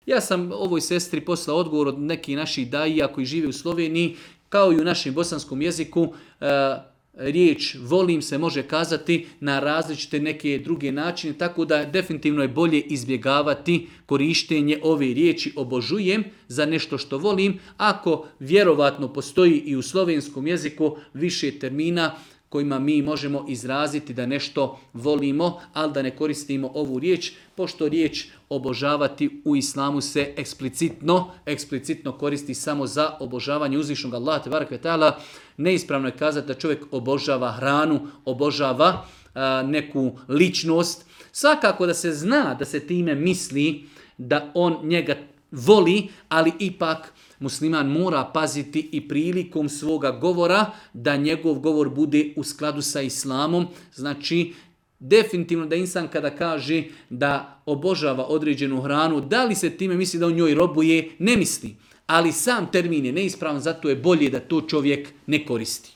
Ja sam ovoj sestri poslao odgovor od nekih naših daija koji žive u Sloveniji, kao i u našem bosanskom jeziku, riječ volim se može kazati na različite neke druge načine, tako da definitivno je bolje izbjegavati korištenje ove riječi obožujem za nešto što volim, ako vjerovatno postoji i u slovenskom jeziku više termina kojima mi možemo izraziti da nešto volimo, ali da ne koristimo ovu riječ, pošto riječ obožavati u islamu se eksplicitno koristi samo za obožavanje uzvišnog Allaha tebarek ve taala. Neispravno je kazati da čovjek obožava hranu, obožava neku ličnost. Svakako da se zna da se time misli da on njega voli, ali ipak musliman mora paziti i prilikom svoga govora da njegov govor bude u skladu sa islamom. Znači, definitivno da insan kada kaže da obožava određenu hranu, da li se time misli da on njoj robuje, ne misli. Ali sam termin je neispravan, zato je bolje da to čovjek ne koristi.